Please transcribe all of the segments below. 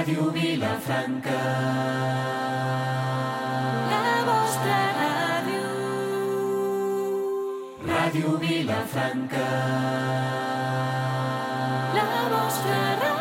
Ràdio Vilafranca, la vostra ràdio. Ràdio Vilafranca, la vostra ràdio.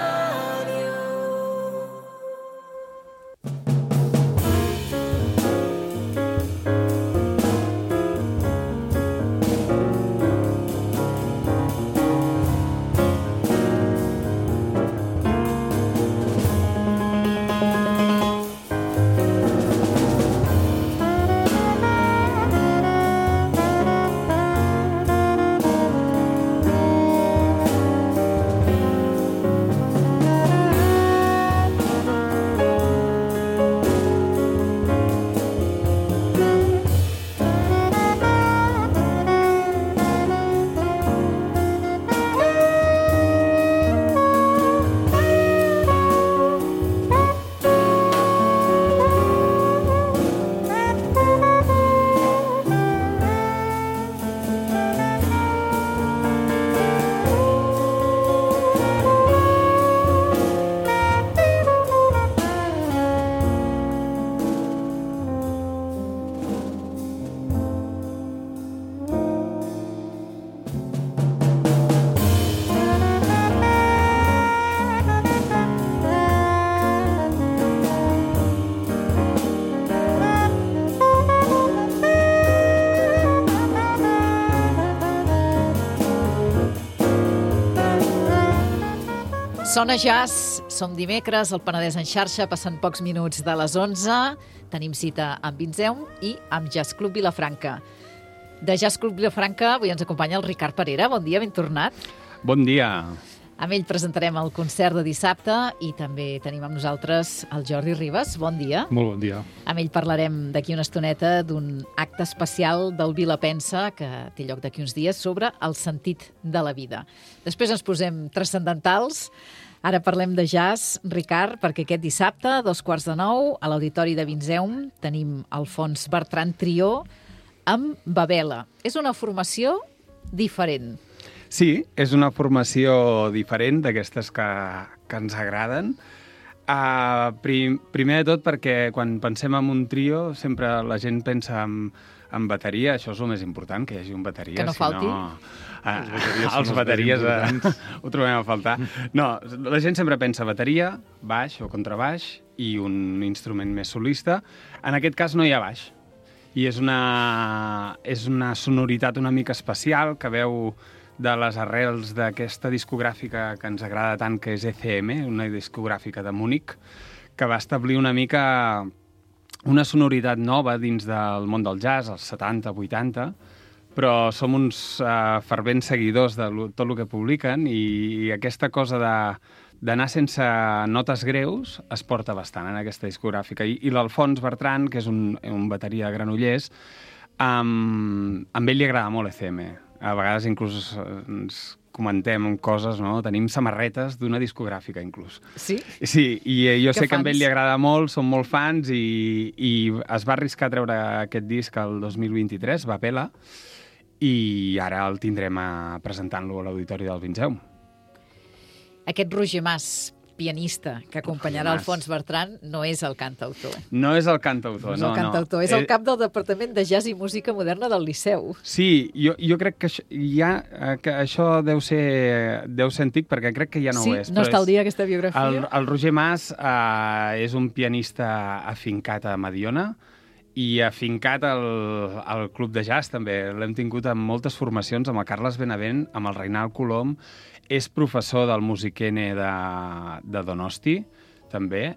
Sona Jazz, som dimecres, el Penedès en xarxa, passen pocs minuts de les 11. Tenim cita amb Vinzeum i amb Jazz Club Vilafranca. De Jazz Club Vilafranca avui ens acompanya el Ricard Parera. Bon dia, ben tornat. Bon dia. Amb ell presentarem el concert de dissabte i també tenim amb nosaltres el Jordi Ribas. Bon dia. Molt bon dia. Amb ell parlarem d'aquí una estoneta d'un acte especial del Vilapensa que té lloc d'aquí uns dies sobre el sentit de la vida. Després ens posem transcendentals. Ara parlem de jazz, Ricard, perquè aquest dissabte, 8:45, a l'Auditori de Vinzeum, tenim Alfons Bertran Trio amb Babela. És una formació diferent. Sí, és una formació diferent d'aquestes que ens agraden. Primer de tot perquè quan pensem en un trio sempre la gent pensa en bateria, això és el més important, que hi hagi un bateria. Que no falti. Els bateries ho trobem a faltar. No, la gent sempre pensa bateria, baix o contrabaix i un instrument més solista. En aquest cas no hi ha baix. I és una sonoritat una mica especial que veu de les arrels d'aquesta discogràfica que ens agrada tant, que és ECM, una discogràfica de Múnich, que va establir una mica una sonoritat nova dins del món del jazz, als 70, 80, però som uns fervents seguidors de tot el que publiquen i aquesta cosa d'anar sense notes greus es porta bastant en aquesta discogràfica. I l'Alfons Bertran, que és un bateria de Granollers, amb ell li agrada molt ECM. A vegades inclús ens comentem coses, no? Tenim samarretes d'una discogràfica, inclús. Sí? Sí, i jo sé que a fans? ell li agrada molt, som molt fans, i es va arriscar a treure aquest disc el 2023, Babela, i ara el tindrem presentant-lo a l'Auditori del Vinzeum. Aquest Roger Mas, pianista, que acompanyarà Alfons Bertran, no és el cantautor. No és el cantautor, No és el cantautor, és el cap del Departament de Jazz i Música Moderna del Liceu. Sí, jo crec que això deu ser antic, perquè crec que ja no ho és. Sí, no està al dia aquesta biografia. El Roger Mas és un pianista afincat a Mediona i afincat al Club de Jazz, també. L'hem tingut en moltes formacions, amb el Carles Benavent, amb el Reinald Colom. És professor del Music-N de Donosti, també.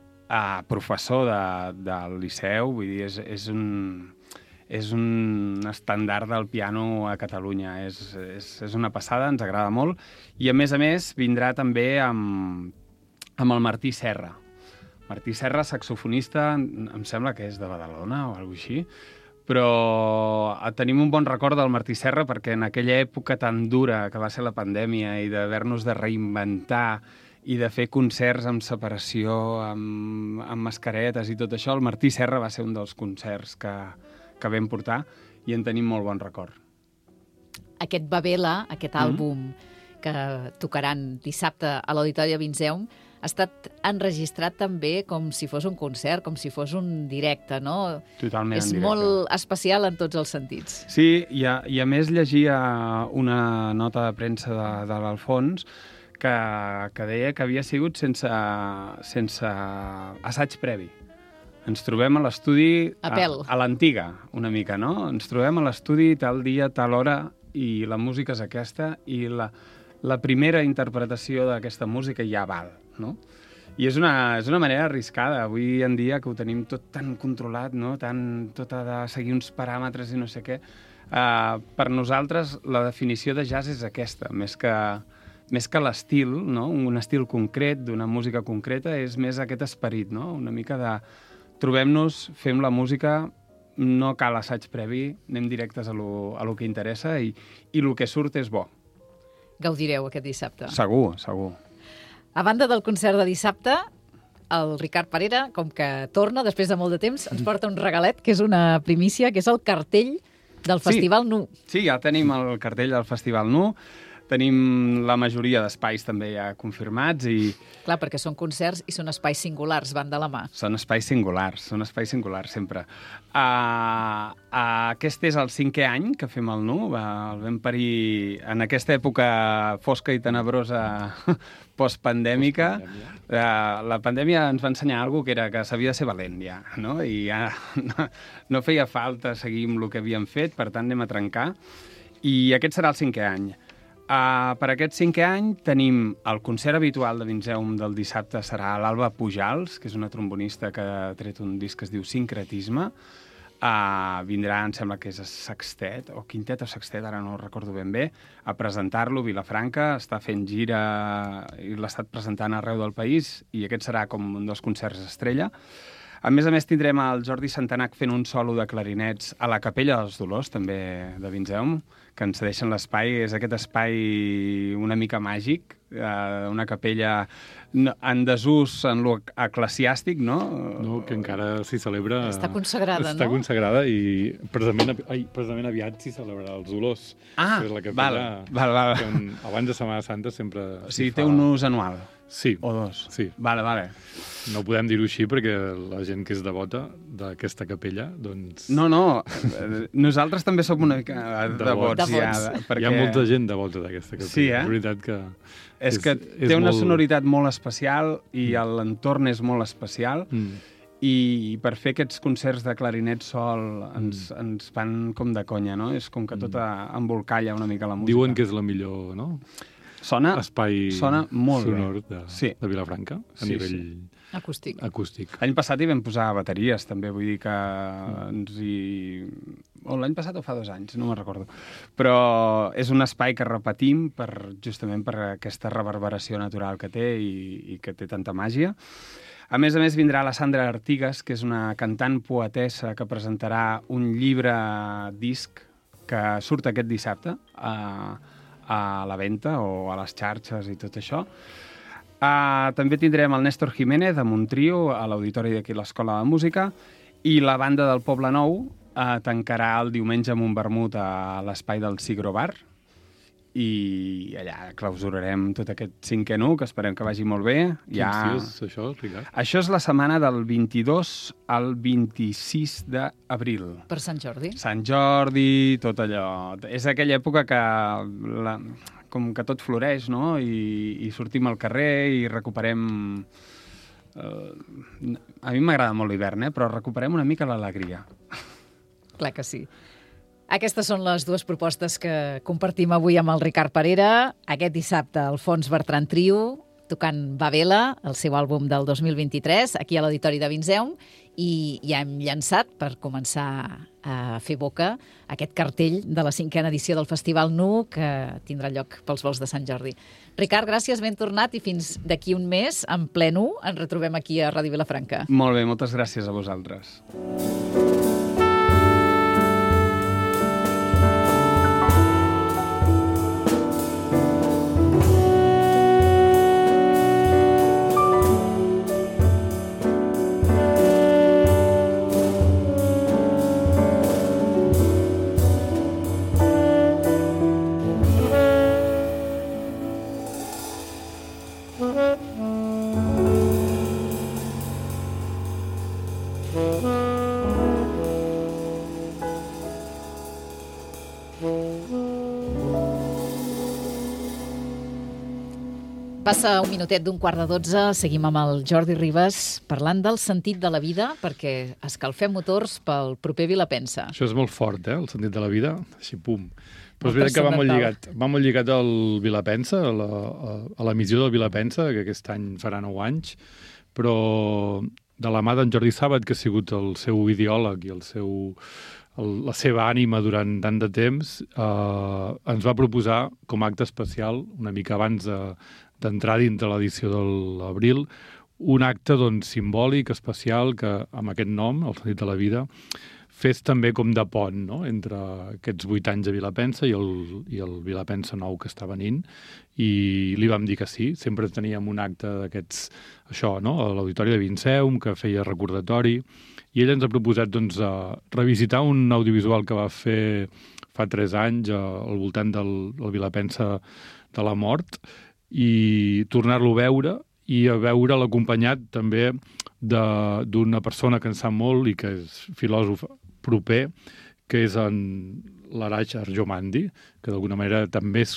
Professor del Liceu, vull dir, és un estàndard del piano a Catalunya. És una passada, ens agrada molt. I, a més, vindrà també amb el Martí Serra. Martí Serra, saxofonista, em sembla que és de Badalona o alguna cosa així, però tenim un bon record del Martí Serra perquè en aquella època tan dura que va ser la pandèmia i d'haver-nos de reinventar i de fer concerts amb separació, amb mascaretes i tot això, el Martí Serra va ser un dels concerts que vam portar i en tenim molt bon record. Aquest Babela, aquest àlbum que tocaran dissabte a l'Auditori de Vinzeum, ha estat enregistrat també com si fos un concert, com si fos un directe, no? Totalment en És directe. molt especial en tots els sentits. Sí, i a més llegia una nota de premsa de l'Alfons que deia que havia sigut sense assaig previ. Ens trobem a l'estudi a l'antiga, una mica, no? Ens trobem a l'estudi tal dia, tal hora, i la música és aquesta, i la primera interpretació d'aquesta música ja val, no? I és una manera arriscada, avui en dia, que ho tenim tot tan controlat, no? Tot ha de seguir uns paràmetres i no sé què. Per nosaltres, la definició de jazz és aquesta, més que l'estil, no? Un estil concret, d'una música concreta, és més aquest esperit, no? Una mica de trobem-nos, fem la música, no cal assaig previ, anem directes a lo que interessa i el que surt és bo. Gaudireu aquest dissabte. Segur, segur. A banda del concert de dissabte, el Ricard Parera, com que torna després de molt de temps, ens porta un regalet, que és una primícia, que és el cartell del Festival Nu. Sí, ja tenim el cartell del Festival Nu. Tenim la majoria d'espais també ja confirmats i... Clar, perquè són concerts i són espais singulars, van de la mà. Són espais singulars sempre. Aquest és el 5è any que fem el Nu. El vam parir en aquesta època fosca i tenebrosa postpandèmica. La pandèmia ens va ensenyar alguna cosa que era que s'havia de ser valent ja, no? I ja no feia falta seguir amb el que havíem fet, per tant anem a trencar. I aquest serà el 5è any. Per aquest 5è any tenim el concert habitual de Vinzeum del dissabte, serà l'Alba Pujals, que és una trombonista que ha tret un disc que es diu Sincretisme. Vindrà, em sembla que és sextet, o quintet o sextet, ara no ho recordo ben bé, a presentar-lo a Vilafranca. Està fent gira i l'ha estat presentant arreu del país i aquest serà com un dels concerts estrella. A més tindrem el Jordi Santanac fent un solo de clarinets a la Capella dels Dolors, també de Vinzeum, que ens cedeixen l'espai. És aquest espai una mica màgic, una capella en desús en lo eclesiàstic, no? No, que encara s'hi celebra... Està consagrada, no? Està consagrada i precisament aviat s'hi celebrarà els Dolors. Que és la capella val. Que abans de Setmana Santa sempre... O sigui, té un ús anual. Sí. O dos. Sí. Vale. No podem dir-ho així perquè la gent que és devota d'aquesta capella, doncs... No, nosaltres també som una mica devots. Ja, perquè... Hi ha molta gent devota d'aquesta capella. Sí, És veritat que... És que té una sonoritat molt especial i l'entorn és molt especial i per fer aquests concerts de clarinet sol ens fan com de conya, no? És com que tot embolcalla una mica la música. Diuen que és la millor, no? Espai molt sonor de Vilafranca, a nivell acústic. L'any passat hi vam posar bateries, també, vull dir que l'any passat o fa 2 anys, no me'n recordo. Però és un espai que repetim justament per aquesta reverberació natural que té i que té tanta màgia. A més vindrà la Sandra Artigas, que és una cantant poetessa que presentarà un llibre-disc que surt aquest dissabte a la venda o a les xarxes i tot això. També tindrem el Néstor Jiménez amb un trio a l'auditori d'aquí l'Escola de Música i la banda del Poble Nou tancarà el diumenge amb un vermut a l'espai del Sigro Bar i allà clausurarem tot aquest 5è Nu, que esperem que vagi molt bé. Quins dies això, Ricard? Això és la setmana del 22 al 26 d'abril. Per Sant Jordi. Sant Jordi, tot allò. És aquella època que com que tot floreix, no? I sortim al carrer i recuperem... A mi m'agrada molt l'hivern, però recuperem una mica l'alegria. Clar que sí. Aquestes són les 2 propostes que compartim avui amb el Ricard Parera. Aquest dissabte, el Fons Bertran Trio, tocant Babela, el seu àlbum del 2023, aquí a l'Auditori de Vinzeum, i ja hem llançat, per començar a fer boca, aquest cartell de la 5a edició del Festival Nu, que tindrà lloc pels vols de Sant Jordi. Ricard, gràcies, ben tornat, i fins d'aquí un mes, en ple Nu, ens retrobem aquí a Ràdio Vilafranca. Molt bé, moltes gràcies a vosaltres. Mm-hmm. Passa un minutet d'un 11:15, seguim amb el Jordi Ribas parlant del sentit de la vida, perquè escalfem motors pel proper Vilapensa. Això és molt fort, el sentit de la vida, així pum. Però és veritat que va molt lligat al Vilapensa, a l'emissió del Vilapensa, que aquest any farà 9 anys, però de la mà d'en Jordi Sàbat, que ha sigut el seu ideòleg i la seva ànima durant tant de temps, ens va proposar com a acte especial, una mica abans d'entrar dintre l'edició de l'abril, un acte simbòlic, especial, que amb aquest nom, el sentit de la vida, fes també com de pont, no?, entre aquests 8 anys de Vilapensa i el Vilapensa nou que està venint, i li vam dir que sí. Sempre teníem un acte d'aquests, això, no?, a l'Auditori de Vinceum, que feia recordatori, i ell ens ha proposat revisitar un audiovisual que va fer fa 3 anys al voltant del Vilapensa de la mort, i tornar-lo a veure, i a veure'l acompanyat també d'una persona que en sap molt i que és filòsof proper, que és en l'Araix Arjomandi, que d'alguna manera també és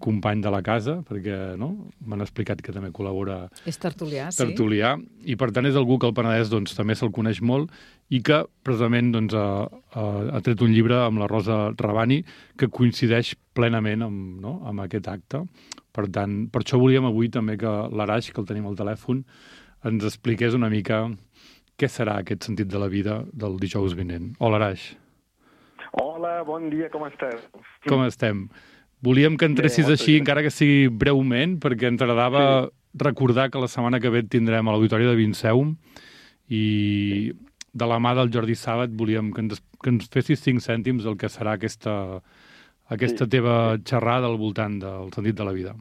company de la casa, perquè m'han explicat que també col·labora... És tertulià, sí. Tertulià, i per tant és algú que al Penedès també se'l coneix molt i que precisament ha tret un llibre amb la Rosa Rabani que coincideix plenament amb aquest acte. Per tant, per això volíem avui també que l'Araix, que el tenim al telèfon, ens expliqués una mica què serà aquest sentit de la vida del dijous vinent. Hola, Araix. Hola, bon dia, com estàs? Com estem? Volíem que entressis així, encara que sigui breument, perquè ens agradava recordar que la setmana que ve et tindrem a l'Auditori de Vinceum i de la mà del Jordi Sàbat volíem que ens fessis 5 cèntims del que serà aquesta teva xerrada al voltant del sentit de la vida.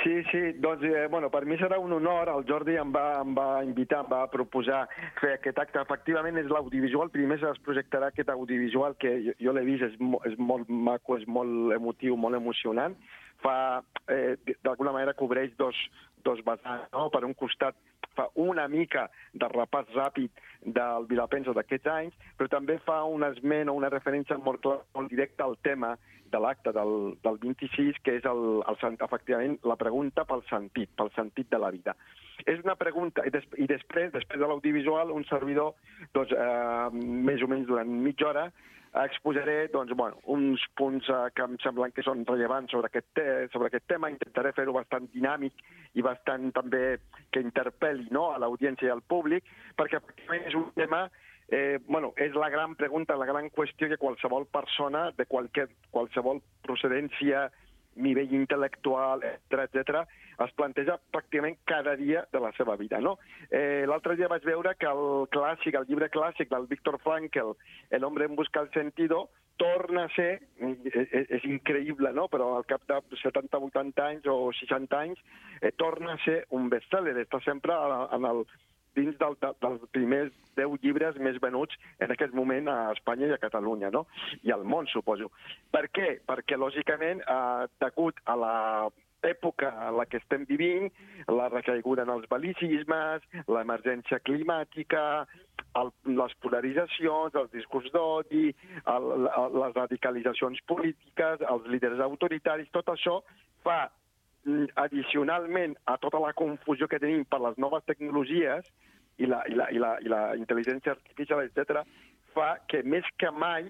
Sí, doncs, per mi serà un honor. El Jordi em va invitar, em va proposar fer aquest acte. Efectivament, és l'audiovisual. Primer es projectarà aquest audiovisual que jo l'he vist, és molt maco, és molt emotiu, molt emocionant. D'alguna manera cobreix dos vessants, no? Per un costat fa una mica de repàs ràpid del Vilapensa d'aquests anys, però també fa un esment o una referència molt clara, molt directa al tema de l'acte del 26, que és efectivament la pregunta pel sentit de la vida. És una pregunta, i després de l'audiovisual, un servidor, més o menys durant mitja hora, exposaré uns punts que em semblen que són rellevants sobre aquest tema. Intentaré fer-ho bastant dinàmic i bastant també que interpel·li a l'audiència i al públic, perquè efectivament és un tema, és la gran pregunta, la gran qüestió que qualsevol persona de qualsevol procedència, nivell intel·lectual, etc., es planteja pràcticament cada dia de la seva vida, no? L'altre dia vaig veure que el llibre clàssic del Viktor Frankl, El hombre en busca del sentido, torna a ser, és increïble, no?, però al cap de 70, 80 anys o 60 anys, torna a ser un best-seller. Està sempre dins dels primers 10 llibres més venuts en aquest moment a Espanya i a Catalunya, no? I al món, suposo. Per què? Perquè, lògicament, degut a l'època en la que estem vivint, la recaiguda en els bel·licismes, l'emergència climàtica, les polaritzacions, els discurs d'odi, les radicalitzacions polítiques, els líders autoritaris, tot això fa, addicionalment a tota la confusió que tenim per les noves tecnologies i la intel·ligència artificial, etc., fa que més que mai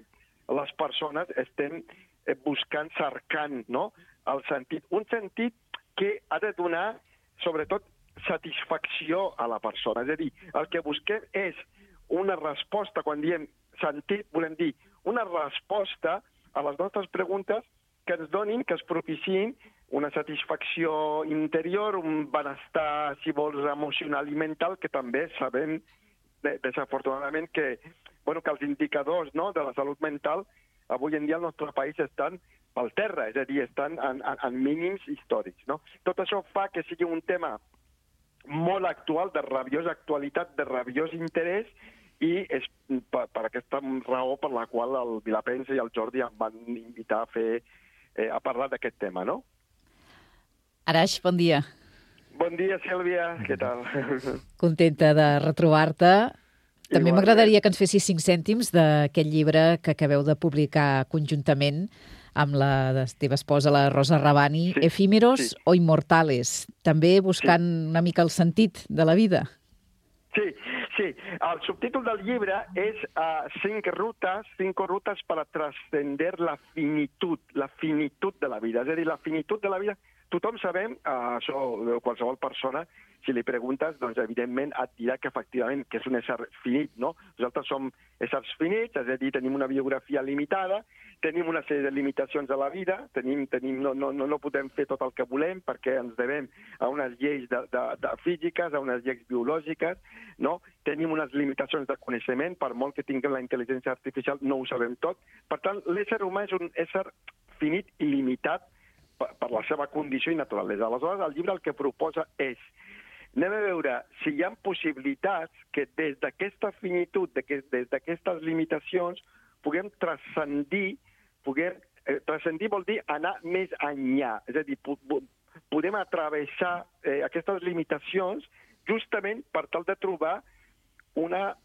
les persones estem cercant el sentit. Un sentit que ha de donar, sobretot, satisfacció a la persona. És a dir, el que busquem és una resposta. Quan diem sentit, volem dir una resposta a les nostres preguntes que ens donin, que es propiciïn una satisfacció interior, un benestar, si vols, emocional i mental, que també sabem, desafortunadament, que els indicadors de la salut mental avui en dia al nostre país estan pel terra, és a dir, estan en mínims històrics. Tot això fa que sigui un tema molt actual, de rabiosa actualitat, de rabiós interès, i és per aquesta raó per la qual el Vilapensa i el Jordi em van invitar a parlar d'aquest tema, no? Araix, bon dia. Bon dia, Sílvia. Què tal? Contenta de retrobar-te. També m'agradaria que ens fessis 5 cèntims d'aquest llibre que acabeu de publicar conjuntament amb la teva esposa, la Rosa Rabani, Efímeros o Immortales, també buscant una mica el sentit de la vida. Sí. El subtítol del llibre és 5 rutes para trascender la finitud de la vida. És a dir, la finitud de la vida, tothom sabem, això qualsevol persona, si li preguntes, doncs evidentment et dirà que efectivament que és un ésser finit, no? Nosaltres som éssers finits, és a dir, tenim una biografia limitada, tenim una sèrie de limitacions a la vida, no podem fer tot el que volem perquè ens devem a unes lleis de físiques, a unes lleis biològiques, no? Tenim unes limitacions de coneixement, per molt que tinguem la intel·ligència artificial no ho sabem tot. Per tant, l'ésser humà és un ésser finit i limitat per la seva condició i naturalesa. Aleshores, el llibre el que proposa és anem a veure si hi ha possibilitats que des d'aquesta finitud, des d'aquestes limitacions, puguem transcendir, transcendir vol dir anar més enllà, és a dir, podem atravessar aquestes limitacions justament per tal de trobar una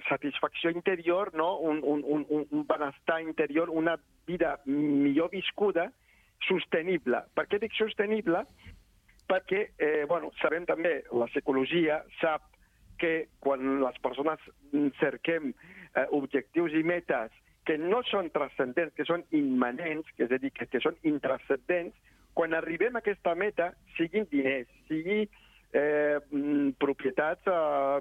satisfacció interior, no? un benestar interior, una vida millor viscuda, sostenible. Per què dic sostenible? Perquè, sabem també, la psicologia sap que quan les persones cerquem objectius i metes que no són transcendents, que són immanents, és a dir, que són intranscendents, quan arribem a aquesta meta, siguin diners, sigui propietats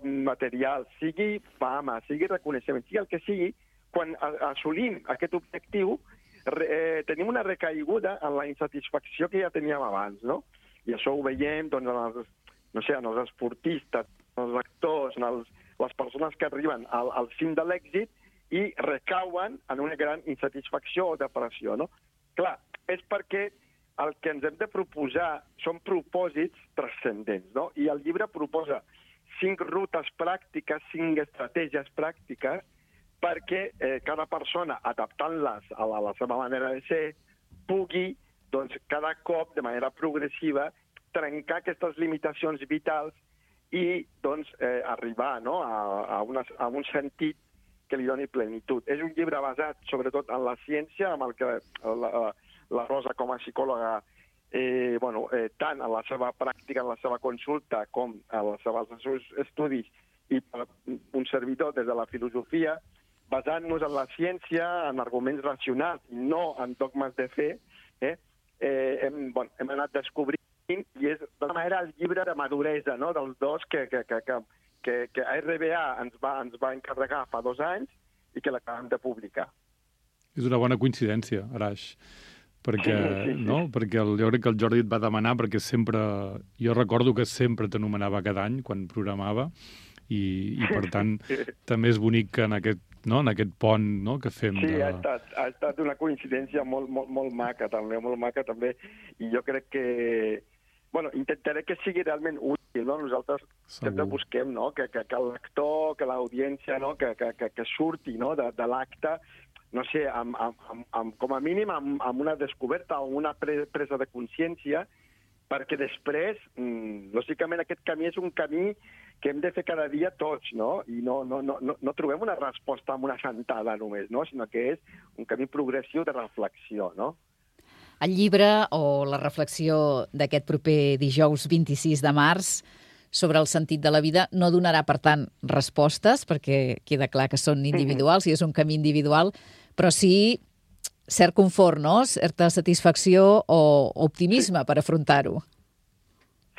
materials, sigui fama, sigui reconeixement, sigui el que sigui, quan assolim aquest objectiu, tenim una recaiguda en la insatisfacció que ja teníem abans, no? I això ho veiem en els esportistes, en els actors, en les persones que arriben al cim de l'èxit i recauen en una gran insatisfacció o depressió, no? Clar, és perquè el que ens hem de proposar són propòsits transcendents, no? I el llibre proposa 5 rutes pràctiques, 5 estratègies pràctiques perquè cada persona, adaptant-les a la seva manera de ser, pugui cada cop, de manera progressiva, trencar aquestes limitacions vitals i arribar a un sentit que li doni plenitud. És un llibre basat, sobretot, en la ciència, amb el que la Rosa, com a psicòloga, tant en la seva pràctica, en la seva consulta, com en els seus estudis, i per un servidor des de la filosofia, basant-nos en la ciència, en arguments racionals, i no en dogmes de fe, hem anat descobrint, i és d'una manera el llibre de maduresa, no?, dels dos que RBA ens va encarregar fa 2 anys i que l'acabem de publicar. És una bona coincidència, Arash, perquè, no? Perquè jo crec que el Jordi et va demanar, perquè sempre, jo recordo que sempre t'anomenava cada any quan programava, i per tant també és bonic que en aquest pont, no?, que fem. Sí, ha estat una coincidència molt maca també, i jo crec que intentaré que sigui realment útil, no? Nosaltres sempre busquem, no?, que l'actor, que l'audiència, no?, que surti, no?, de l'acte, no sé, com a mínim amb una descoberta o una presa de consciència, perquè després, lògicament, aquest camí és un camí que hem de fer cada dia tots, no? I no trobem una resposta amb una sentada només, no? Sinó que és un camí progressiu de reflexió, no? El llibre o la reflexió d'aquest proper dijous 26 de març sobre el sentit de la vida no donarà, per tant, respostes, perquè queda clar que són individuals i és un camí individual, però sí cert confort, no?, certa satisfacció o optimisme per afrontar-ho.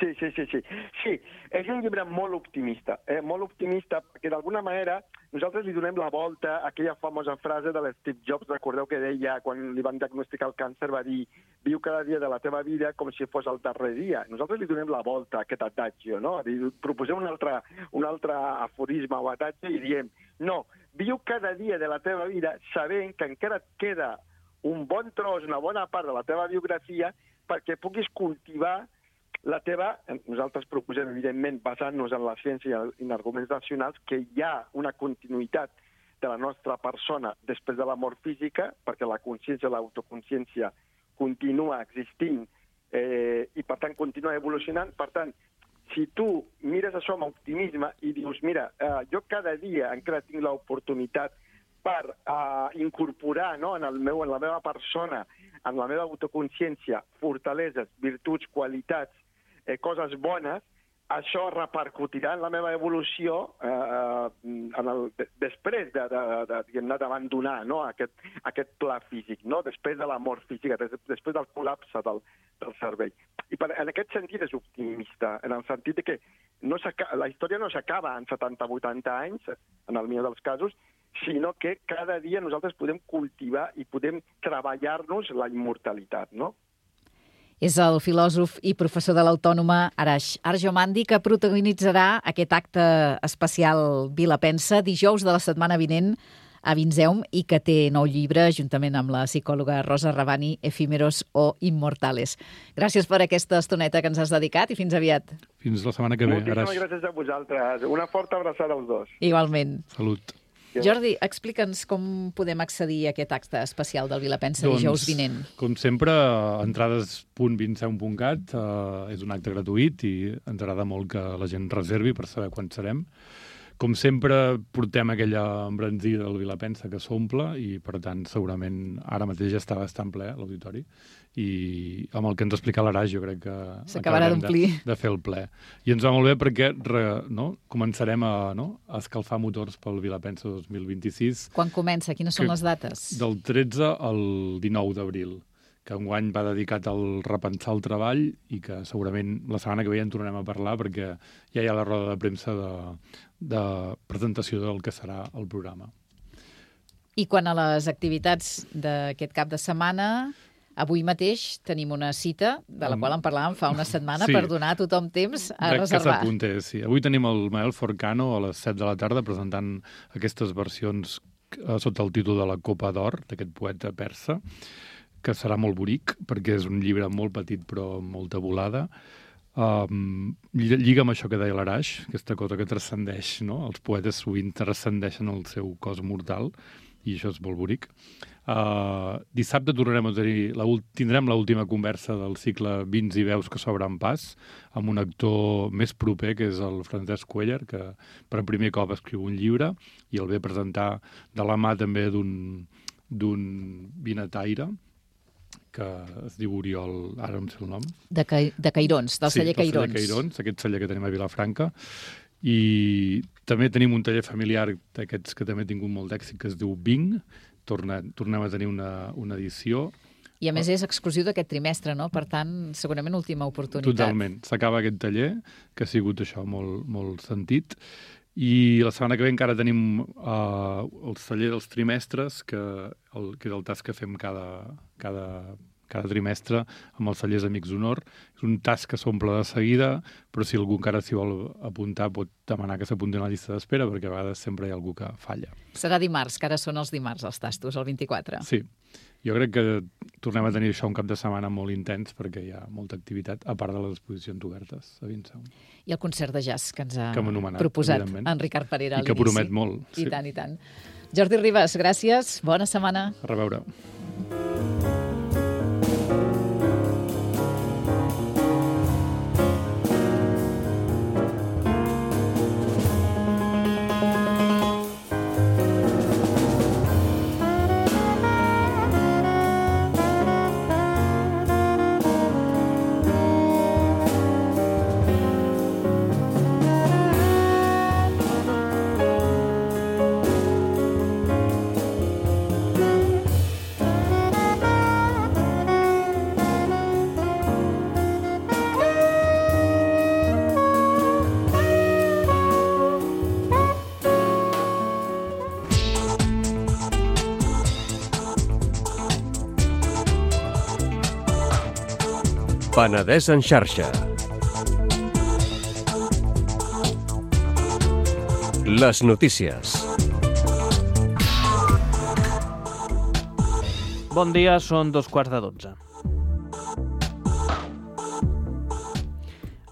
Sí. Sí, és un llibre molt optimista perquè d'alguna manera nosaltres li donem la volta a aquella famosa frase de l'Steve Jobs, recordeu que deia, quan li van diagnosticar el càncer, va dir: viu cada dia de la teva vida com si fos el darrer dia. Nosaltres li donem la volta a aquest adagio, no? Proposem un altre aforisme o adagio i diem: no, viu cada dia de la teva vida sabent que encara et queda un bon tros, una bona part de la teva biografia perquè puguis cultivar la teva, nosaltres proposem, evidentment, basant-nos en la ciència i en arguments racionals, que hi ha una continuïtat de la nostra persona després de la mort física, perquè la consciència, l'autoconsciència continua existint i, per tant, continua evolucionant. Per tant, si tu mires això amb optimisme i dius, mira, jo cada dia encara tinc l'oportunitat per incorporar, no, en la meva persona, en la meva autoconsciència, fortaleses, virtuts, qualitats, coses bones, això repercutirà en la meva evolució després d'abandonar, no, aquest pla físic, no, després de la mort física, després del col·lapse del cervell. I en aquest sentit és optimista, en el sentit que la història no s'acaba en 70-80 anys, en el millor dels casos, sinó que cada dia nosaltres podem cultivar i podem treballar-nos la immortalitat, no? És el filòsof i professor de l'Autònoma Arash Arjomandi, que protagonitzarà aquest acte especial Vila Pensa dijous de la setmana vinent a Vinzeum i que té nou llibre juntament amb la psicòloga Rosa Rabani, Efímeros o Immortales. Gràcies per aquesta estoneta que ens has dedicat i fins aviat. Fins la setmana que ve, Arash. Moltíssimes gràcies a vosaltres. Una forta abraçada als dos. Igualment. Salut. Jordi, explica'ns com podem accedir a aquest acte especial del Vila Pensa dijous vinent. Com sempre, entrades.vinceum.cat és un acte gratuït i ens agrada molt que la gent reservi per saber quan serem. Com sempre, portem aquella embranzida del Vila Pensa que s'omple i, per tant, segurament ara mateix està bastant ple l'auditori i amb el que ens explica l'Arash jo crec que s'acabarà d'omplir de fer el ple. I ens va molt bé perquè començarem a escalfar motors pel Vila Pensa 2026. Quan comença? Quines són les dates? Del 13 al 19 d'abril, que enguany va dedicat al repensar el treball i que segurament la setmana que ve ja en tornarem a parlar perquè ja hi ha la roda de premsa de presentació del que serà el programa. I quant a les activitats d'aquest cap de setmana, avui mateix tenim una cita, de la qual en parlàvem fa una setmana, per donar a tothom temps a reservar. Que s'apuntés, sí. Avui tenim el Mael Forcano a les 7 de la tarda presentant aquestes versions sota el títol de la Copa d'Or, d'aquest poeta persa, que serà molt bonic, perquè és un llibre molt petit però amb molta volada. Lliga amb això que deia l'Arash, aquesta cosa que transcendeix, no? Els poetes sovint transcendeixen el seu cos mortal, i això és molt bonic. Dissabte tindrem l'última conversa del cicle Vins i veus que s'obren pas, amb un actor més proper, que és el Francesc Cuéllar, que per primer cop escriu un llibre, i el ve a presentar de la mà també d'un vinataire, que es diu Oriol, ara no em sé el nom. De Cairons, del celler Cairons. Sí, del celler Cairons, aquest celler que tenim a Vilafranca. I també tenim un taller familiar d'aquests que també ha tingut molt d'èxit, que es diu Bing. Tornem a tenir una edició. I a més és exclusiu d'aquest trimestre, no? Per tant, segurament última oportunitat. Totalment. S'acaba aquest taller, que ha sigut això molt, molt sentit. I la setmana que ve encara tenim el taller dels trimestres, que és el tas que fem cada trimestre amb els cellers Amics d'Honor. És un tas que s'omple de seguida, però si algú encara s'hi vol apuntar pot demanar que s'apunti a la llista d'espera, perquè a vegades sempre hi ha algú que falla. Serà dimarts, que ara són els dimarts, els tastos, el 24. Sí. Jo crec que tornem a tenir això un cap de setmana molt intens perquè hi ha molta activitat, a part de les exposicions obertes a Vinceum. I el concert de jazz que ens ha anomenat, proposat en Ricard Parera a l'inici. I que promet molt. I tant, i tant. Jordi Ribas, gràcies. Bona setmana. A reveure. Penedès en xarxa. Les notícies. Bon dia, són 2:15.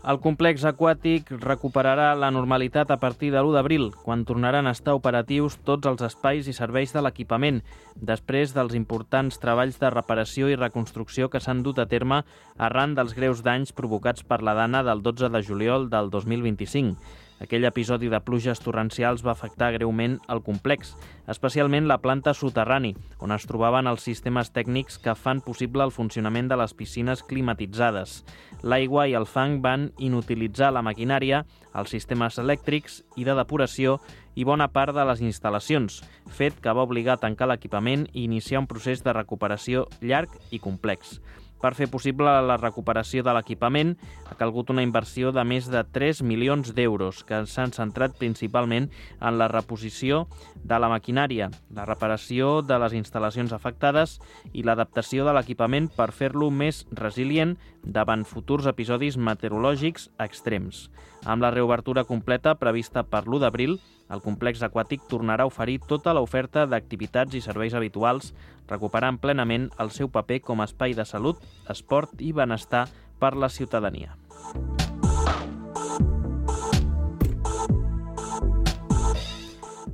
El complex aquàtic recuperarà la normalitat a partir de l'1 d'abril, quan tornaran a estar operatius tots els espais i serveis de l'equipament, després dels importants treballs de reparació i reconstrucció que s'han dut a terme arran dels greus danys provocats per la Dana del 12 de juliol del 2025. Aquell episodi de pluges torrencials va afectar greument el complex, especialment la planta soterrani, on es trobaven els sistemes tècnics que fan possible el funcionament de les piscines climatitzades. L'aigua i el fang van inutilitzar la maquinària, els sistemes elèctrics i de depuració i bona part de les instal·lacions, fet que va obligar a tancar l'equipament i iniciar un procés de recuperació llarg i complex. Per fer possible la recuperació de l'equipament, ha calgut una inversió de més de 3 milions d'euros, que s'han centrat principalment en la reposició de la maquinària, la reparació de les instal·lacions afectades i l'adaptació de l'equipament per fer-lo més resilient davant futurs episodis meteorològics extrems. Amb la reobertura completa prevista per l'1 d'abril, el complex aquàtic tornarà a oferir tota l'oferta d'activitats i serveis habituals, recuperant plenament el seu paper com a espai de salut, esport i benestar per la ciutadania.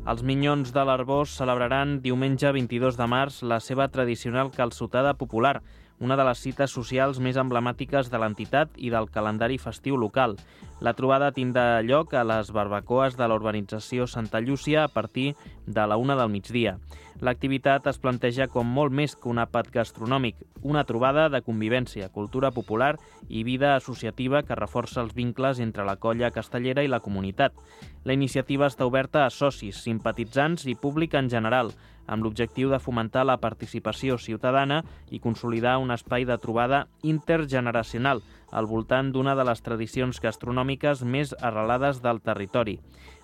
Els Minyons de l'Arboç celebraran diumenge 22 de març la seva tradicional calçotada popular, una de les cites socials més emblemàtiques de l'entitat i del calendari festiu local. La trobada tindrà lloc a les barbacoes de la urbanització Santa Llúcia a partir de la 1 del migdia. L'activitat es planteja com molt més que un àpat gastronòmic, una trobada de convivència, cultura popular i vida associativa que reforça els vincles entre la colla castellera i la comunitat. La iniciativa està oberta a socis, simpatitzants i públic en general, amb l'objectiu de fomentar la participació ciutadana i consolidar un espai de trobada intergeneracional al voltant d'una de les tradicions gastronòmiques més arrelades del territori.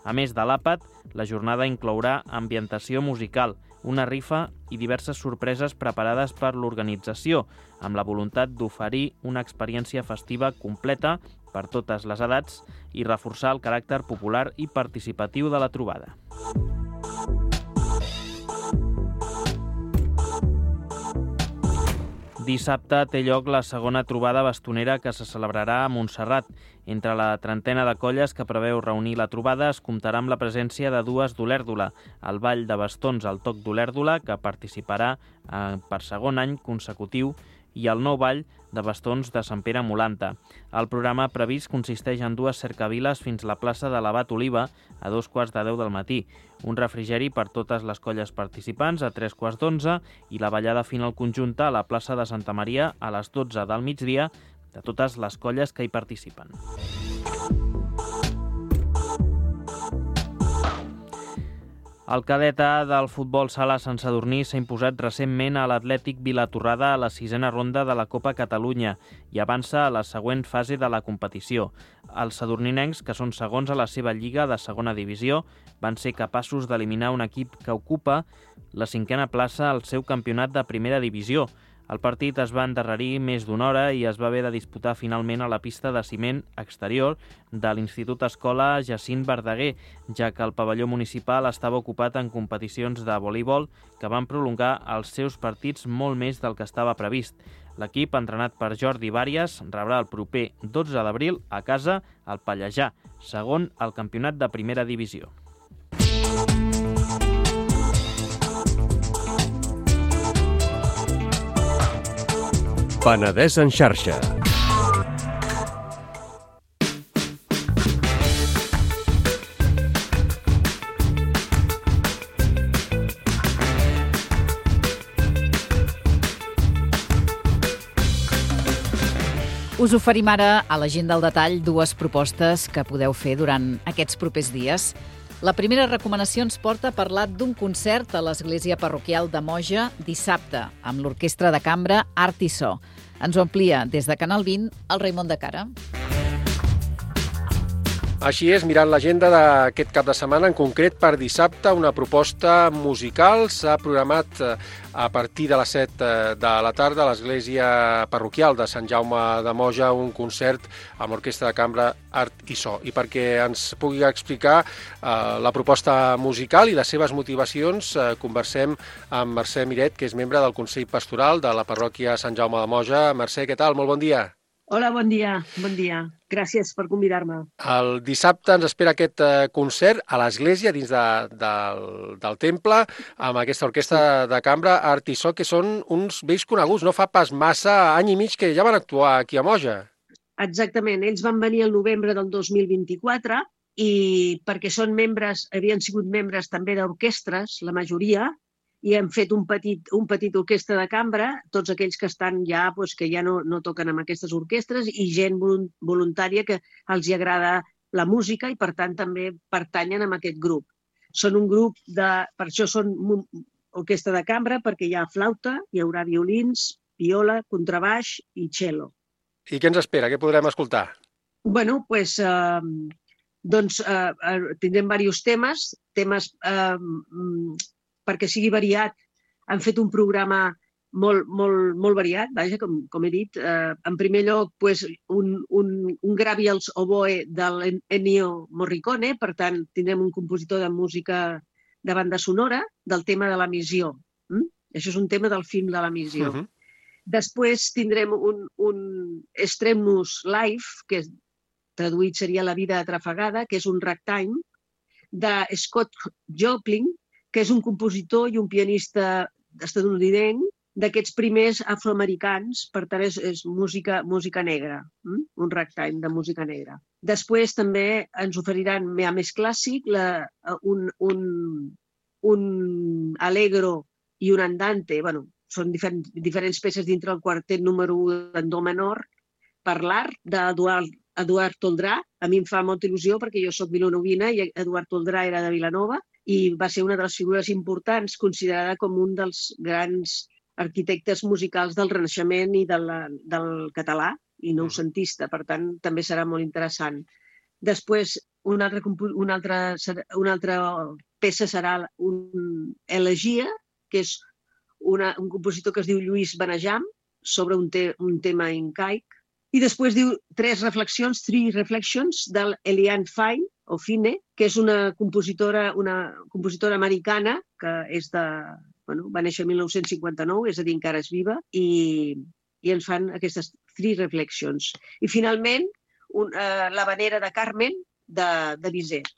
A més de l'àpat, la jornada inclourà ambientació musical, una rifa i diverses sorpreses preparades per l'organització, amb la voluntat d'oferir una experiència festiva completa per totes les edats i reforçar el caràcter popular i participatiu de la trobada. Dissabte té lloc la segona trobada bastonera que se celebrarà a Montserrat. Entre la trentena de colles que preveu reunir la trobada es comptarà amb la presència de dues d'Olèrdola, el Ball de Bastons al Toc d'Olèrdola, que participarà per segon any consecutiu, i el nou Ball de Bastons de Sant Pere Molanta. El programa previst consisteix en dues cercaviles fins a la plaça de l'Abat Oliva a 2:15 del matí, un refrigeri per totes les colles participants a 3:15 i la ballada final conjunta a la plaça de Santa Maria a les 12 del migdia de totes les colles que hi participen. El cadet A del futbol sala Sant Sadurní s'ha imposat recentment a l'Atlètic Vilatorrada a la 6a ronda de la Copa Catalunya i avança a la següent fase de la competició. Els sadurninencs, que són segons a la seva lliga de segona divisió, van ser capaços d'eliminar un equip que ocupa la 5a plaça al seu campionat de primera divisió. El partit es va endarrerir més d'una hora i es va haver de disputar finalment a la pista de ciment exterior de l'Institut Escola Jacint Verdaguer, ja que el pavelló municipal estava ocupat en competicions de voleibol que van prolongar els seus partits molt més del que estava previst. L'equip, entrenat per Jordi Vàries, rebrà el proper 12 d'abril a casa al Pallejà, segon al campionat de primera divisió. Penedès en xarxa. Us oferim ara a la gent del detall dues propostes que podeu fer durant aquests propers dies. La primera recomanació ens porta a parlar d'un concert a l'Església Parroquial de Moja dissabte, amb l'Orquestra de Cambra Art i So. Ens ho amplia des de Canal 20 el Raimon de Cara. Així és, mirant l'agenda d'aquest cap de setmana, en concret per dissabte, una proposta musical s'ha programat a partir de les 7 de la tarda a l'Església Parroquial de Sant Jaume de Moja, un concert amb l'Orquestra de Cambra Art i So. I perquè ens pugui explicar la proposta musical i les seves motivacions, conversem amb Mercè Miret, que és membre del Consell Pastoral de la parròquia Sant Jaume de Moja. Mercè, què tal? Molt bon dia. Hola, bon dia, bon dia. Gràcies per convidar-me. El dissabte ens espera aquest concert a l'església, dins del temple, amb aquesta orquestra de cambra Artisó, que són uns vells coneguts. No fa pas massa, any i mig, que ja van actuar aquí a Moja. Exactament, ells van venir el novembre del 2024 i perquè són membres, havien sigut membres també d'orquestres, la majoria, i hem fet un petit orquestra de cambra, tots aquells que estan ja, doncs, que ja no toquen amb aquestes orquestres, i gent voluntària que els hi agrada la música i, per tant, també pertanyen a aquest grup. Són un grup per això són orquestra de cambra, perquè hi ha flauta, hi haurà violins, viola, contrabaix i cello. I què ens espera? Què podrem escoltar? Bueno, doncs tindrem diversos temes perquè sigui variat. Han fet un programa molt variat, vaja, com he dit. En primer lloc, un Gravials Oboe d'Ennio Morricone, per tant, tindrem un compositor de música de banda sonora del tema de la missió. Això és un tema del film de la missió. Després tindrem un Extremnus Live, que traduït seria La vida atrafegada, que és un ragtime, de Scott Joplin, que és un compositor i un pianista estatunidenc d'aquests primers afroamericans, per tant és música negra, un ragtime de música negra. Després també ens oferiran més clàssic, un allegro i un andante, són diferents peces dintre del quartet número 1 d'en do menor, per l'art d'Eduard Toldrà. A mi em fa molta il·lusió perquè jo soc vilanovina i Eduard Toldrà era de Vilanova i va ser una de les figures importants, considerada com un dels grans arquitectes musicals del Renaixement i del català i noucentista. Per tant, també serà molt interessant. Després, una altra peça serà un Elegia, que és un compositor que es diu Lluís Benejam, sobre un tema incaic. I després diu Three Reflections, del Eliane Fine, que és una compositora americana que va néixer el 1959, és a dir, encara és viva, i ens fan aquestes Three Reflections. I finalment, l'Havanera de Carmen, de Bizet,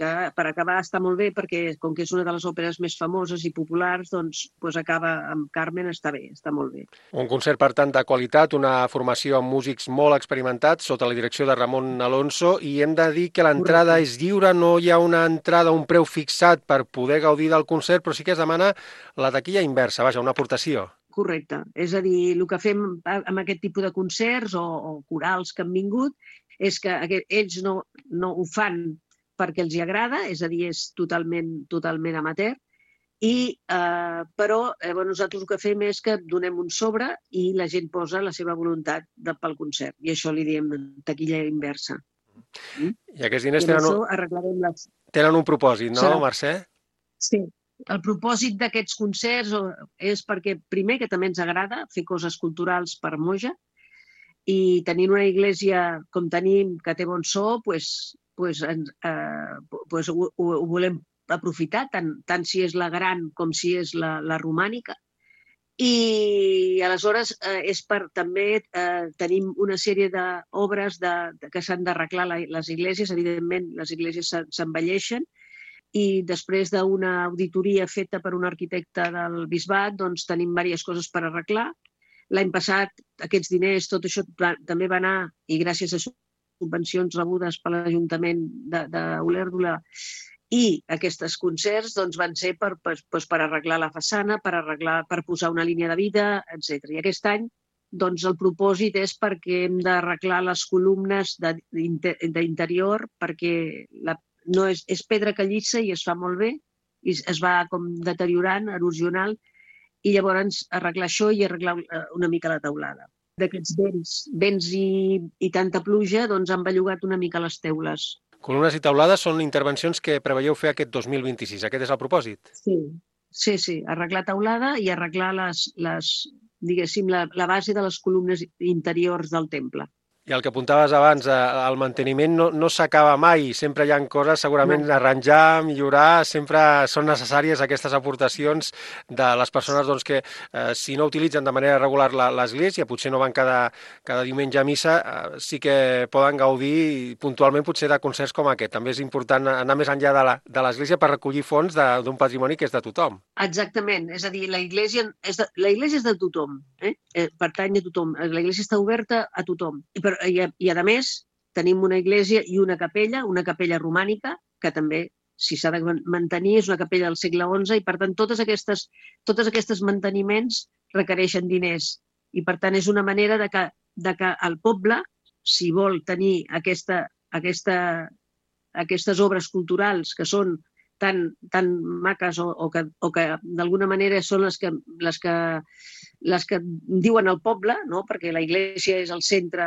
que per acabar està molt bé perquè com que és una de les òperes més famoses i populars, doncs acaba amb Carmen, està bé, està molt bé. Un concert, per tant, de qualitat, una formació amb músics molt experimentats sota la direcció de Ramon Alonso, i hem de dir que l'entrada és lliure, no hi ha una entrada, un preu fixat per poder gaudir del concert, però sí que es demana la taquilla inversa, vaja, una aportació. Correcte. És a dir, el que fem amb aquest tipus de concerts o corals que han vingut és que ells no ho fan perquè els hi agrada, és a dir, és totalment amateur, però nosaltres el que fem és que donem un sobre i la gent posa la seva voluntat pel concert, i això li diem taquilla inversa. I aquests diners tenen un propòsit, no, Mercè? Sí. El propòsit d'aquests concerts és perquè, primer, que també ens agrada fer coses culturals per Moja, i tenint una església com tenim, que té bon so, ho volem aprofitar, tant si és la gran com si és la romànica. I aleshores és per també tenim una sèrie d'obres que s'han d'arreglar les esglésies. Evidentment, les esglésies s'envelleixen i després d'una auditoria feta per un arquitecte del bisbat, doncs tenim diverses coses per arreglar. L'any passat, aquests diners, tot això també va anar, i gràcies a subvencions rebudes per l'Ajuntament d'Olèrdola i aquests concerts van ser per arreglar la façana, per posar una línia de vida, etc. I aquest any el propòsit és perquè hem d'arreglar les columnes d'interior, perquè és pedra callissa i es fa molt bé, i es va com deteriorant, erosional, i llavors arreglar això i arreglar una mica la teulada. D'aquests vents i tanta pluja han bellugat una mica les teules. Columnes i teulades són intervencions que preveieu fer aquest 2026. Aquest és el propòsit? Sí. Arreglar teulada i arreglar la base de les columnes interiors del temple. I el que apuntaves abans, el manteniment no s'acaba mai, sempre hi ha coses segurament arranjar, millorar, sempre són necessàries aquestes aportacions de les persones doncs, que si no utilitzen de manera regular l'església, potser no van cada diumenge a missa, sí que poden gaudir puntualment potser de concerts com aquest. També és important anar més enllà de l'església per recollir fons d'un patrimoni que és de tothom. Exactament, és a dir, la iglesia és de tothom, pertany a tothom, la iglesia està oberta a tothom. I a més tenim una iglesia i una capella romànica, que també, si s'ha de mantenir, és una capella del segle XI i, per tant, tots aquests manteniments requereixen diners. I, per tant, és una manera de que el poble, si vol tenir aquestes obres culturals que són tan maques o que d'alguna manera són les que diuen al poble, no? Perquè la iglesia és el centre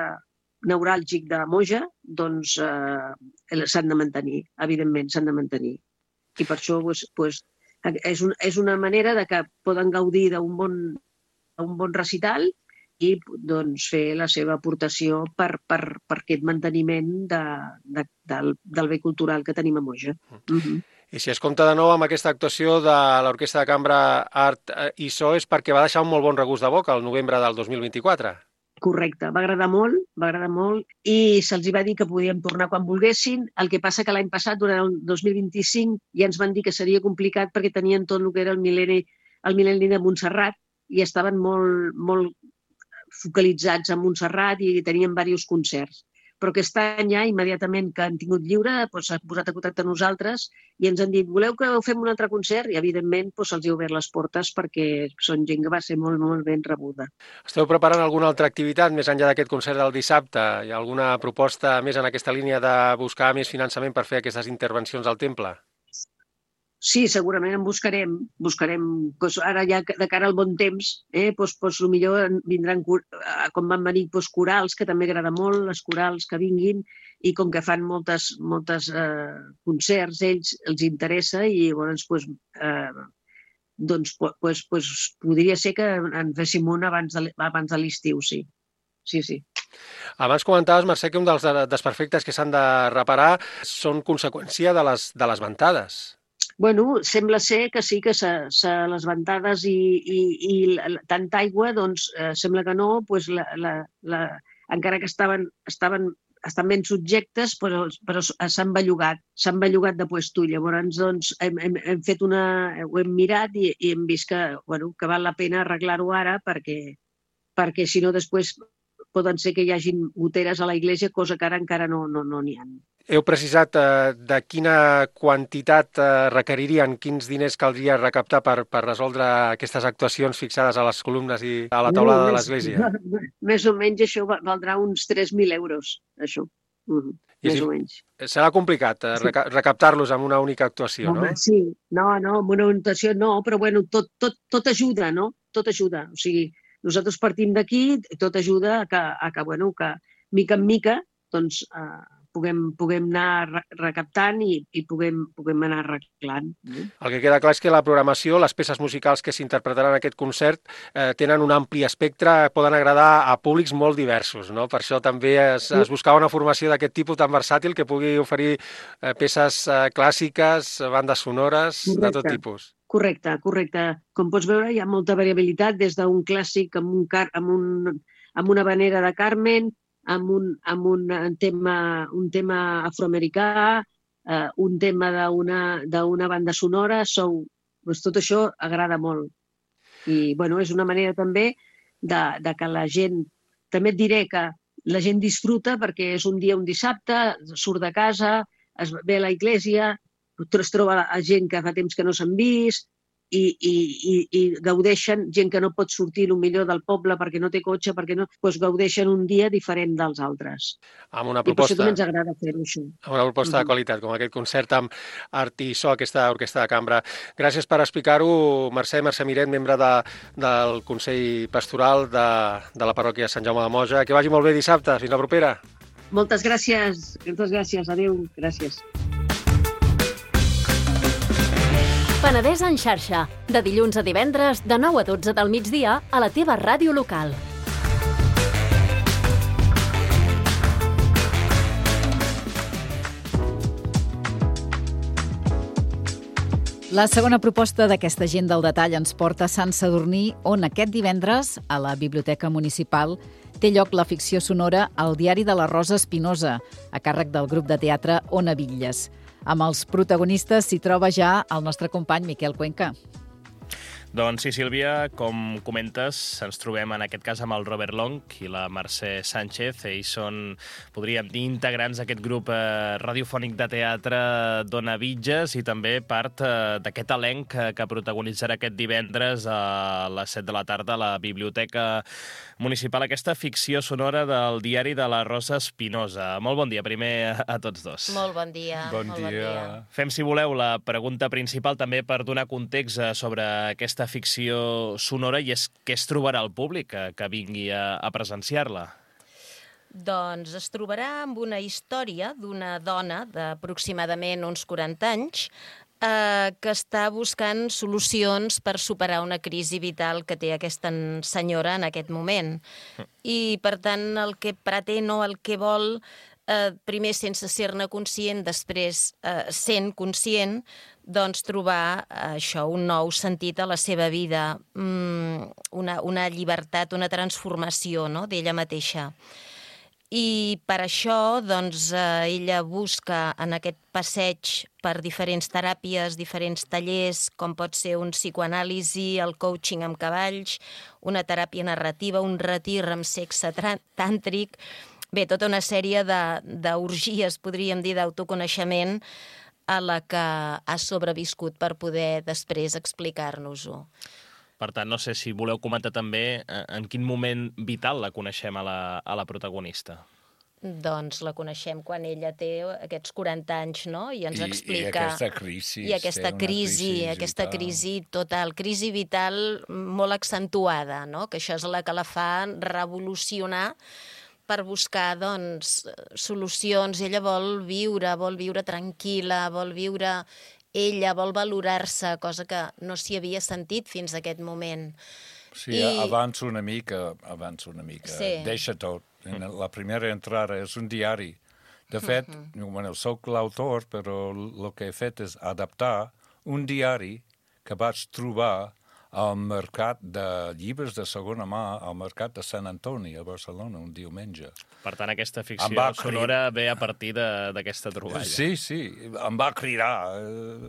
neuràlgic de Moja, doncs s'han de mantenir, evidentment, s'han de mantenir. I per això és una manera de que poden gaudir d'un bon recital i doncs, fer la seva aportació per aquest manteniment del bé cultural que tenim a Moja. I si es compta de nou amb aquesta actuació de l'Orquestra de Cambra Art i So és perquè va deixar un molt bon regust de boca el novembre del 2024. Correcte, va agradar molt i se'ls va dir que podíem tornar quan volguessin. El que passa que l'any passat, durant el 2025, ja ens van dir que seria complicat perquè tenien tot el que era el mil·lenni de Montserrat i estaven molt focalitzats a Montserrat i tenien diversos concerts. Però aquest any ja, immediatament que han tingut lliure, s'han posat a contacte amb nosaltres i ens han dit, voleu que fem un altre concert? I, evidentment, se'ls ha obert les portes perquè són gent que va ser molt, molt ben rebuda. Esteu preparant alguna altra activitat més enllà d'aquest concert del dissabte? Hi ha alguna proposta més en aquesta línia de buscar més finançament per fer aquestes intervencions al temple? Sí, segurament en buscarem. Ara ja de cara al bon temps, millor vindran, com van venir, corals, que també agrada molt, les corals que vinguin, i com que fan moltes concerts, ells els interessa i llavors podria ser que en féssim un abans de l'estiu, sí. Sí. Abans comentaves, Mercè, que un dels desperfectes que s'han de reparar són conseqüència de les ventades. Bueno, sembla ser que sí, que les ventades i tanta aigua, doncs sembla que no, encara que estan ben subjectes, però s'han bellugat de puesto. Llavors, doncs, ho hem mirat i hem vist que val la pena arreglar-ho ara perquè si no després poden ser que hi hagin goteres a la iglesia, cosa que ara encara no n'hi ha. Heu precisat de quina quantitat requeririen, quins diners caldria recaptar per resoldre aquestes actuacions fixades a les columnes i a la taulada de l'església? Més o menys això valdrà uns 3.000 euros, això. Més o menys. Serà complicat recaptar-los amb una única actuació, no? Sí, no, amb una actuació no, però bueno, tot ajuda, no? Tot ajuda. O sigui, nosaltres partim d'aquí, tot ajuda a que mica en mica, doncs, puguem anar recaptant i puguem anar arreglant. El que queda clar és que la programació, les peces musicals que s'interpretaran en aquest concert tenen un ampli espectre, poden agradar a públics molt diversos, no? Per això també es buscava una formació d'aquest tipus tan versàtil que pugui oferir peces clàssiques, bandes sonores, de tot tipus. Correcte. Com pots veure, hi ha molta variabilitat, des d'un clàssic amb una habanera de Carmen, amb un tema afroamericà, un tema d'una banda sonora, tot això agrada molt. I és una manera també de que la gent, també et diré que la gent disfruta perquè és un dissabte, surt de casa, es ve a la iglesia, es troba gent que fa temps que no s'han vist, i gaudeixen, gent que no pot sortir millor del poble perquè no té cotxe, doncs gaudeixen un dia diferent dels altres. Amb una proposta, I per això també ens agrada fer-ho, això. Amb una proposta de qualitat, com aquest concert amb Art i So, aquesta orquestra de cambra. Gràcies per explicar-ho, Mercè Miret, membre del Consell Pastoral de la parròquia Sant Jaume de Moja. Que vagi molt bé dissabte. Fins la propera. Moltes gràcies. Adéu. Gràcies. Penedès en xarxa, de dilluns a divendres, de 9 a 12 del migdia, a la teva ràdio local. La segona proposta d'aquesta agenda al detall ens porta a Sant Sadurní, on aquest divendres, a la Biblioteca Municipal, té lloc la ficció sonora El diari de la Rosa Espinosa, a càrrec del grup de teatre Ona Bitlles. Amb els protagonistes s'hi troba ja el nostre company Miquel Cuenca. Doncs sí, Sílvia, com comentes, ens trobem en aquest cas amb el Robert Long i la Mercè Sánchez. Ells són, podríem dir, integrants d'aquest grup radiofònic de teatre d'Ona Bitlles i també part d'aquest elenc que protagonitzarà aquest divendres a les 7 de la tarda a la Biblioteca Municipal, aquesta ficció sonora del diari de la Rosa Espinosa. Molt bon dia, primer, a tots dos. Molt bon dia. Bon dia. Fem, si voleu, la pregunta principal també per donar context sobre aquesta ficció sonora i és què es trobarà el públic que vingui a presenciar-la. Doncs es trobarà amb una història d'una dona d'aproximadament uns 40 anys que està buscant solucions per superar una crisi vital que té aquesta senyora en aquest moment. I, per tant, el que pretén o el que vol, primer sense ser-ne conscient, després sent conscient, doncs trobar això, un nou sentit a la seva vida, una llibertat, una transformació, no?, d'ella mateixa. I per això doncs, ella busca en aquest passeig per diferents teràpies, diferents tallers, com pot ser un psicoanàlisi, el coaching amb cavalls, una teràpia narrativa, un retir amb sexe tàntric, bé, tota una sèrie d'orgies, podríem dir, d'autoconeixement a la que ha sobreviscut per poder després explicar-nos-ho. Per tant, no sé si voleu comentar també en quin moment vital la coneixem a la protagonista. Doncs la coneixem quan ella té aquests 40 anys, no? I ens explica... I aquesta crisi. I aquesta crisi total, crisi vital molt accentuada, no? Que això és la que la fa revolucionar per buscar, doncs, solucions. Ella vol viure tranquil·la, vol viure ella, vol valorar-se, cosa que no s'hi havia sentit fins a aquest moment. Sí, avança una mica. Sí. Deixa tot. La primera entrada és un diari. De fet, soc l'autor, però el que he fet és adaptar un diari que vaig trobar al mercat de llibres de segona mà, al mercat de Sant Antoni, a Barcelona, un diumenge. Per tant, aquesta ficció sonora ve a partir d'aquesta troballa. Sí, em va cridar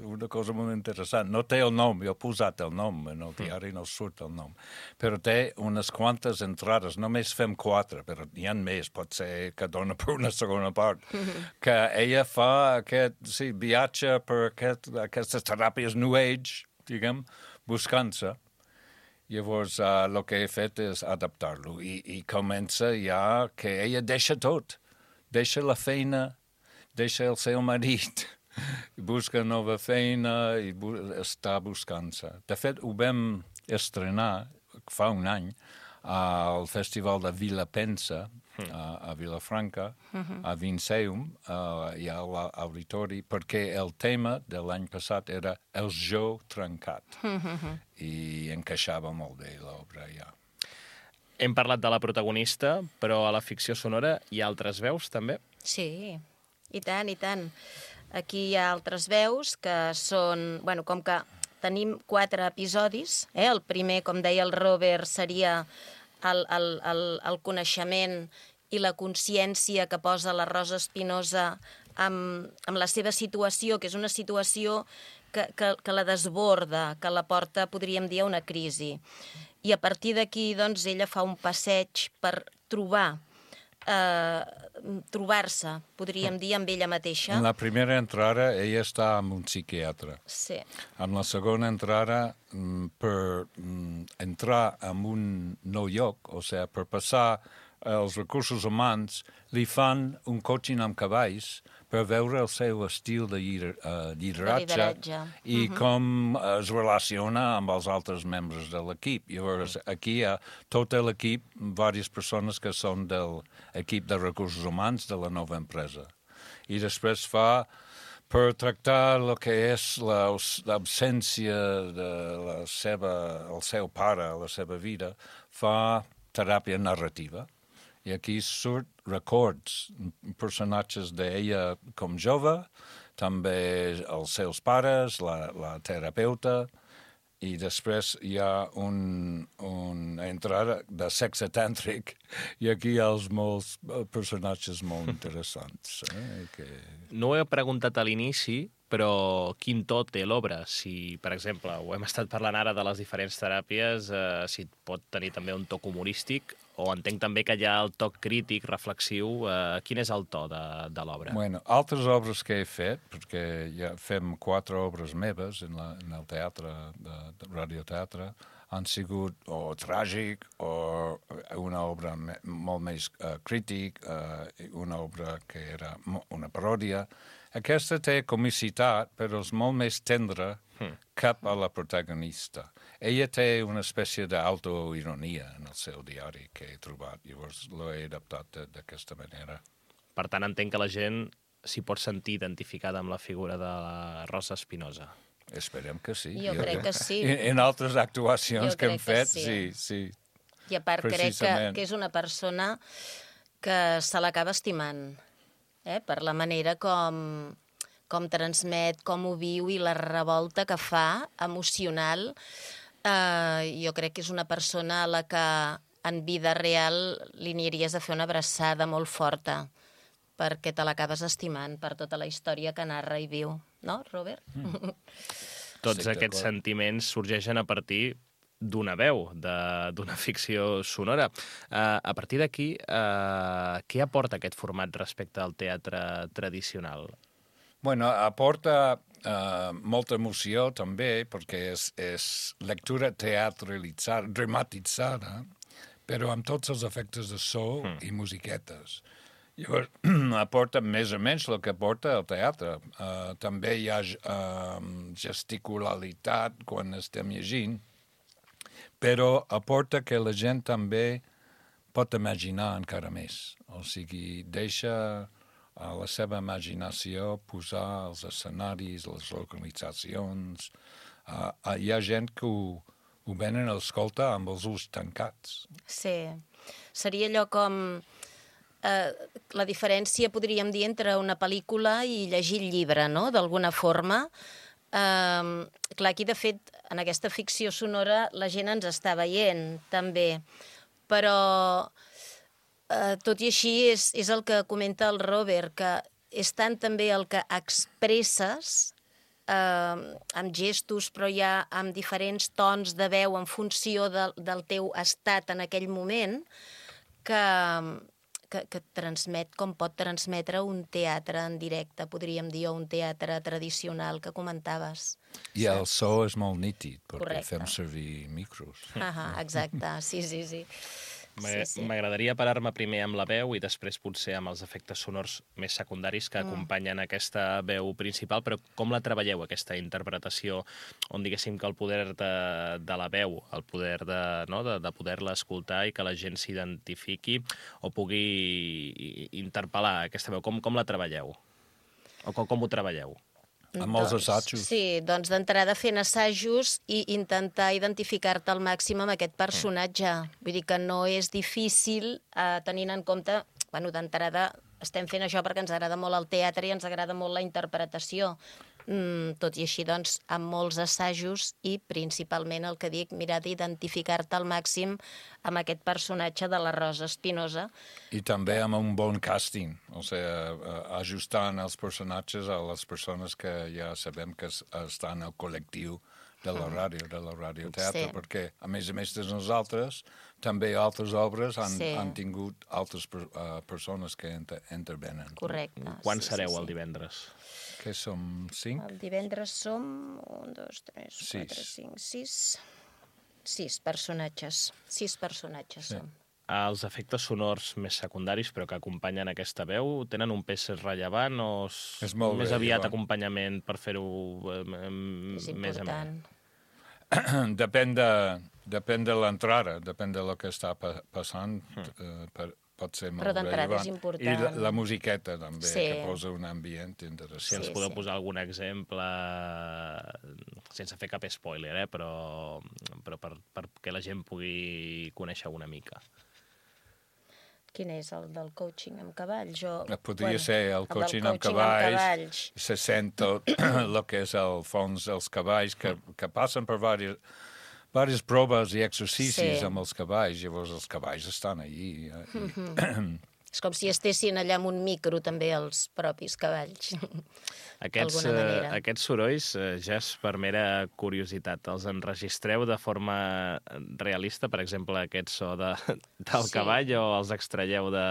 una cosa molt interessant. No té el nom, jo he posat el nom, en el diari no surt el nom, però té unes quantes entrades, només fem 4, però n'hi ha més, pot ser que dona per una segona part, que ella fa aquest viatge per aquestes teràpies New Age, diguem, buscant-se. Llavors, el que he fet és adaptar-lo i comença ja que ella deixa tot. Deixa la feina, deixa el seu marit, busca nova feina i està buscant-se. De fet, ho vam estrenar fa un any al Festival de Vilapensa, a Vilafranca, a Vinceum, i a l'auditori, perquè el tema de l'any passat era el jo trencat. I encaixava molt bé l'obra, ja. Hem parlat de la protagonista, però a la ficció sonora hi ha altres veus, també? Sí, i tant, i tant. Aquí hi ha altres veus que són... Bueno, com que tenim 4 episodis, el primer, com deia el Robert, seria el coneixement i la consciència que posa la Rosa Espinosa amb la seva situació, que és una situació que la desborda, que la porta, podríem dir, a una crisi. I a partir d'aquí, doncs, ella fa un passeig per trobar-se, podríem dir, amb ella mateixa. En la primera entrada, ella està amb un psiquiatre. Sí. En la segona entrada, per entrar en un nou lloc, o sigui, per passar els recursos humans, li fan un coaching amb cavalls per veure el seu estil de lideratge i com es relaciona amb els altres membres de l'equip. Llavors, aquí hi ha tot l'equip, diverses persones que són de l'equip de recursos humans de la nova empresa. I després fa, per tractar el que és l'absència del seu pare, la seva vida, fa teràpia narrativa. I aquí surt records, personatges d'ella com jove, també els seus pares, la terapeuta, i després hi ha una entrada de sexe tàntric i aquí hi ha molts personatges molt interessants. No ho he preguntat a l'inici, però quin to té l'obra? Si, per exemple, ho hem estat parlant ara de les diferents teràpies, si pot tenir també un toc humorístic, o entenc també que hi ha el toc crític, reflexiu. Quin és el to de l'obra? Bueno, altres obres que he fet, perquè ja fem 4 obres meves en el teatre, de radioteatre, han sigut o tràgic o una obra molt més crític, una obra que era una paròdia. Aquesta té comicitat, però és molt més tendra cap a la protagonista. Ella té una espècie d'autoironia en el seu diari que he trobat, llavors l'he adaptat d'aquesta manera. Per tant, entenc que la gent s'hi pot sentir identificada amb la figura de la Rosa Espinosa. Esperem que sí. Jo crec que sí. En altres actuacions que hem fet, sí. I a part crec que és una persona que se l'acaba estimant, per la manera com transmet, com ho viu i la revolta que fa emocional. Jo crec que és una persona a la que en vida real li aniries a fer una abraçada molt forta, perquè te l'acabes estimant per tota la història que narra i viu. No, Robert? Tots aquests sentiments sorgeixen a partir d'una veu, d'una ficció sonora. A partir d'aquí, què aporta aquest format respecte al teatre tradicional? Bueno, aporta molta emoció també, perquè és lectura teatralitzada, dramatitzada, però amb tots els efectes de so i musiquetes. Llavors, aporta més o menys el que aporta el teatre. També hi ha gesticularitat quan estem llegint, però aporta que la gent també pot imaginar encara més. O sigui, deixa a la seva imaginació posar els escenaris, les localitzacions. Hi ha gent que ho venen a escoltar amb els ulls tancats. Sí. Seria allò com... la diferència, podríem dir, entre una pel·lícula i llegir el llibre, no?, d'alguna forma. Clar, aquí, de fet, en aquesta ficció sonora la gent ens està veient, també. Però, tot i així, és el que comenta el Robert, que és tant també el que expresses amb gestos, però ja amb diferents tons de veu en funció del teu estat en aquell moment, que transmet com pot transmetre un teatre en directe, podríem dir, o un teatre tradicional que comentaves. I el so és molt nítid, perquè fem servir micros. Exacte, sí. M'agradaria parar-me primer amb la veu i després potser amb els efectes sonors més secundaris que acompanyen aquesta veu principal, però com la treballeu, aquesta interpretació, on diguéssim que el poder de la veu, el poder de poder-la escoltar i que la gent s'identifiqui o pugui interpel·lar aquesta veu, com la treballeu? O com ho treballeu? Amb molts assajos. Sí, doncs d'entrada fent assajos i intentar identificar-te al màxim amb aquest personatge. Vull dir que no és difícil tenint en compte, bueno, d'entrada estem fent això perquè ens agrada molt el teatre i ens agrada molt la interpretació. Tot i així, doncs, amb molts assajos i principalment el que dic, mirar d'identificar-te al màxim amb aquest personatge de la Rosa Espinosa. I també amb un bon càsting, o sigui, ajustant els personatges a les persones que ja sabem que estan al col·lectiu de la ràdio, de la radioteatre, perquè, a més de nosaltres, també altres obres han tingut altres persones que intervenen. Correcte. Quan sereu el divendres? Que som 5? El divendres som 1, 2, 3, 4, 5, 6... 6 personatges. 6 personatges som. Els efectes sonors més secundaris, però que acompanyen aquesta veu, tenen un pes rellevant o és més aviat acompanyament per fer-ho més amè? Depèn de l'entrada, depèn del que està passant, pot ser molt rellevant. I la musiqueta també, que posa un ambient interessant. Si ens podeu posar algun exemple, sense fer cap spoiler, però perquè la gent pugui conèixer una mica. Quin és el del coaching amb cavalls? Podria ser el coaching amb cavalls. Se sent tot el que és el fons dels cavalls, que passen per diverses proves i exercicis amb els cavalls, llavors els cavalls estan allí. És com si estessin allà amb un micro, també, els propis cavalls. Aquests sorolls, Jess, per mera curiositat, els enregistreu de forma realista? Per exemple, aquest so del cavall, o els extraieu de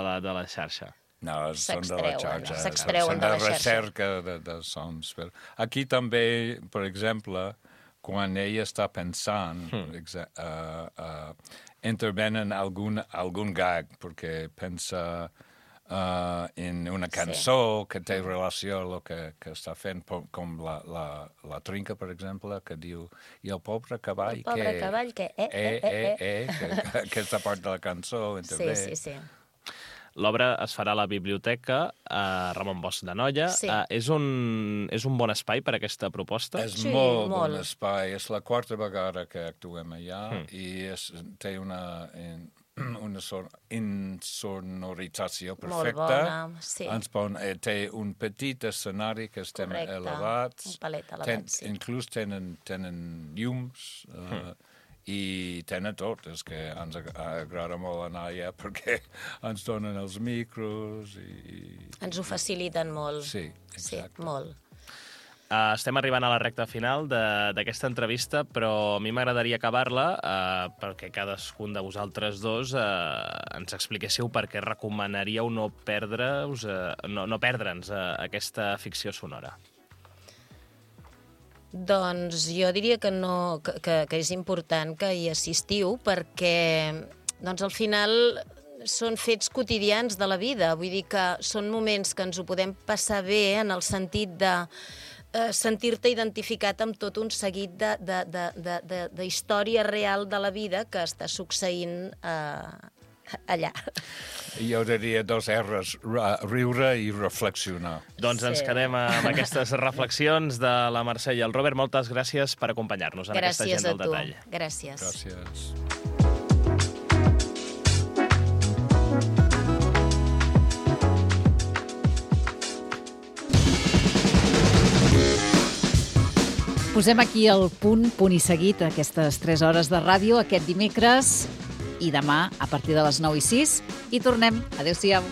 la xarxa? No, són de la xarxa. Són de recerca de sons. Aquí també, per exemple, quan ella està pensant, intervenen algun gag, perquè pensa en una cançó que té relació amb el que està fent, com la trinca, per exemple, que diu i el pobre cavall que... El pobre cavall que... Aquesta part de la cançó intervé. Sí. L'obra es farà a la biblioteca Ramon Bosch de Noia. Sí. És un bon espai per a aquesta proposta? És molt bon espai. És la quarta vegada que actuem allà i té una insonorització perfecta. Molt bona, sí. Té un petit escenari que estem elevats. Un palet elevat, sí. Inclús tenen llums i tenen tot. És que ens agrada molt anar allà perquè ens donen els micros i... Ens ho faciliten molt. Sí, exacte. Sí, molt. Estem arribant a la recta final d'aquesta entrevista, però a mi m'agradaria acabar-la perquè cadascun de vosaltres dos ens expliquéssiu per què recomanaríeu no perdre'ns aquesta ficció sonora. Doncs jo diria que és important que hi assistiu perquè al final són fets quotidians de la vida. Vull dir que són moments que ens ho podem passar bé en el sentit de sentir-te identificat amb tot un seguit de història real de la vida que està succeint allà. Jo diria 2 R's, riure i reflexionar. Doncs ens quedem amb aquestes reflexions de la Mercè i el Robert. Moltes gràcies per acompanyar-nos en aquesta Gent del Detall. Gràcies. Gràcies. Posem aquí el punt i seguit aquestes 3 hores de ràdio aquest dimecres i demà a partir de les 9:06 i tornem. Adéu-siau.